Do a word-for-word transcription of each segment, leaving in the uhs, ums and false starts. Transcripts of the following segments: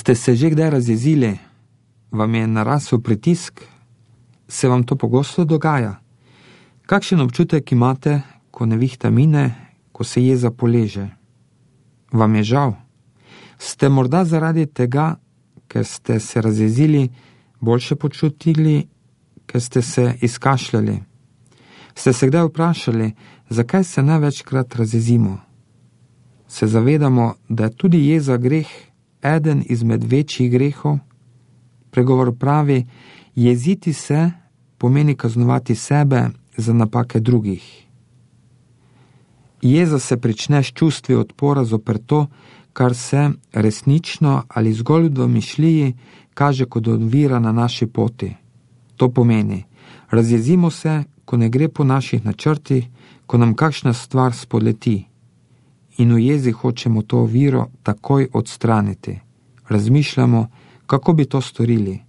Ste se že kdaj razjezili? Vam je narasel pritisk? Se vam to pogosto dogaja? Kakšen občutek imate, ko nevihta mine, ko se jeza poleže? Vam je žal? Ste morda zaradi tega, ker ste se razjezili, boljše počutili, ker ste se izkašljali? Ste se kdaj vprašali, zakaj se največkrat razjezimo? Se zavedamo, da je tudi jeza greh eden izmed večjih grehov? Pregovor pravi, jeziti se pomeni kaznovati sebe za napake drugih. Jeza se prične s čustvi odpora zoper to, kar se resnično ali zgolj v domišljiji kaže kot ovira na naši poti. To pomeni, razjezimo se, ko ne gre po naših načrtih, ko nam kakšna stvar spodleti. In v jezi hočemo to oviro takoj odstraniti. Razmišljamo, kako bi to storili.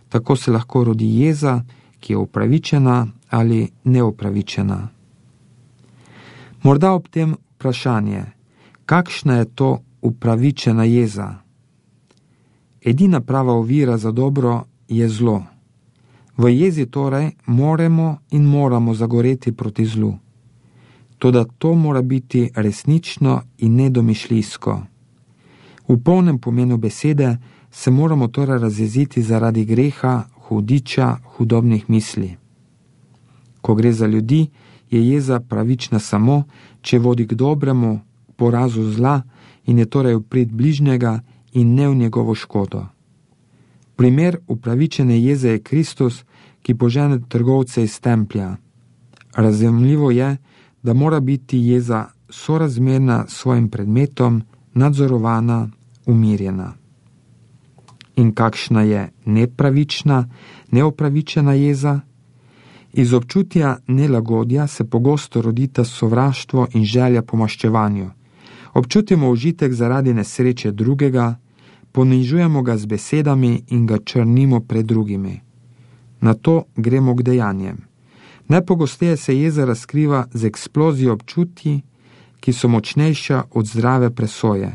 Tako se lahko rodi jeza, ki je upravičena ali neupravičena. Morda ob tem vprašanje, kakšna je to upravičena jeza? Edina prava ovira za dobro je zlo. V jezi torej moramo in moramo zagoreti proti zlu. Toda to mora biti resnično in nedomišljijsko. V polnem pomenu besede se moramo torej razjeziti zaradi greha, hudiča, hudobnih misli. Ko gre za ljudi, je jeza pravična samo, če vodi k dobremu, porazu zla in je torej v prid bližnjega in ne v njegovo škodo. Primer upravičene jeze je Kristus, ki požene trgovce iz templja. Razumljivo je, da mora biti jeza sorazmerna s svojim predmetom, nadzorovana, umirjena. In kakšna je nepravična, neopravičena jeza? Iz občutja nelagodja se pogosto rodita sovraštvo in želja po maščevanju. Občutimo užitek zaradi nesreče drugega, ponižujemo ga z besedami in ga črnimo pred drugimi. Na to gremo k dejanjem. Najpogosteje se jeza razkriva z eksplozijo občutji, ki so močnejša od zdrave presoje.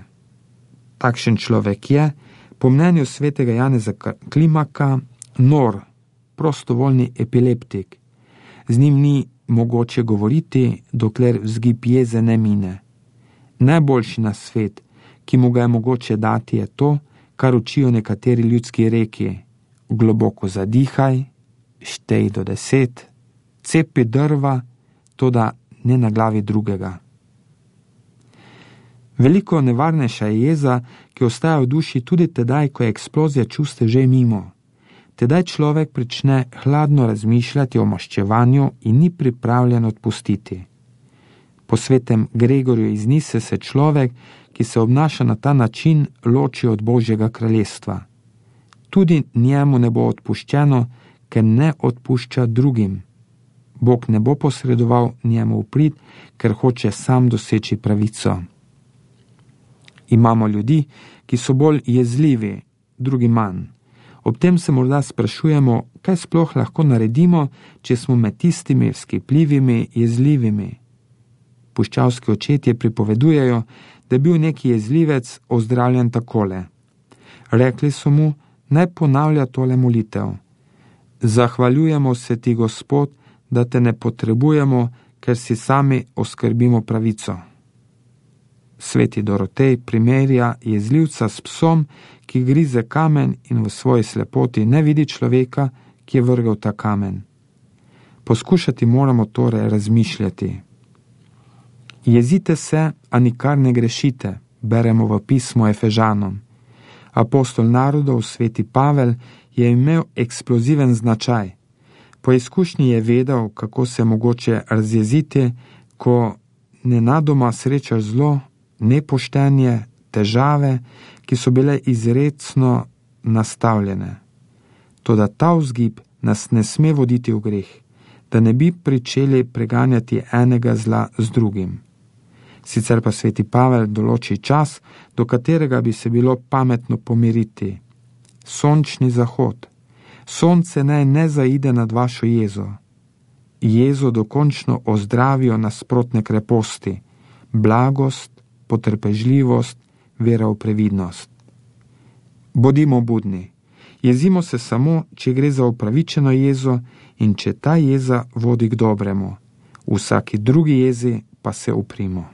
Takšen človek je, po mnenju svetega Janeza Klimaka, nor, prostovoljni epileptik. Z njim ni mogoče govoriti, dokler vzgib jeze ne mine. Najboljši nasvet, ki mu ga je mogoče dati, je to, kar učijo nekateri ljudski reki. Globoko zadihaj, štej do deset, cepi drva, toda ne na glavi drugega. Veliko nevarnejša je jeza, ki ostaja v duši tudi tedaj, ko je eksplozija čustev že mimo. Tedaj človek prične hladno razmišljati o maščevanju in ni pripravljen odpustiti. Po svetem Gregorju iz Nise se človek, ki se obnaša na ta način, loči od Božjega kraljestva. Tudi njemu ne bo odpuščeno, ker ne odpušča drugim. Bog ne bo posredoval njemu v prid, ker hoče sam doseči pravico. Imamo ljudi, ki so bolj jezljivi, drugi manj. Ob tem se morda sprašujemo, kaj sploh lahko naredimo, če smo med tistimi vzkipljivimi, jezljivimi. Puščavski očetje pripovedujejo, da je bil neki jezljivec ozdravljen takole. Rekli so mu, naj ponavlja tole molitev. Zahvaljujemo se ti, Gospod, da te ne potrebujemo, ker si sami oskrbimo pravico. Sveti Dorotej primerja jezljivca s psom, ki grize kamen in v svoji slepoti ne vidi človeka, ki je vrgel ta kamen. Poskušati moramo torej razmišljati. Jezite se, a nikar ne grešite, beremo v pismu Efežanom. Apostol narodov, sveti Pavel, je imel eksploziven značaj. Po izkušnji je vedel, kako se mogoče razjeziti, ko nenadoma srečaš zlo, nepoštenje, težave, ki so bile izrecno nastavljene. Toda ta vzgib nas ne sme voditi v greh, da ne bi pričeli preganjati enega zla z drugim. Sicer pa sveti Pavel določi čas, do katerega bi se bilo pametno pomiriti. Sončni zahod. Sonce naj ne zaide nad vašo jezo. Jezo dokončno ozdravijo nasprotne kreposti, blagost, potrpežljivost, vera v previdnost. Bodimo budni. Jezimo se samo, če gre za upravičeno jezo in če ta jeza vodi k dobremu. V vsaki drugi jezi pa se uprimo.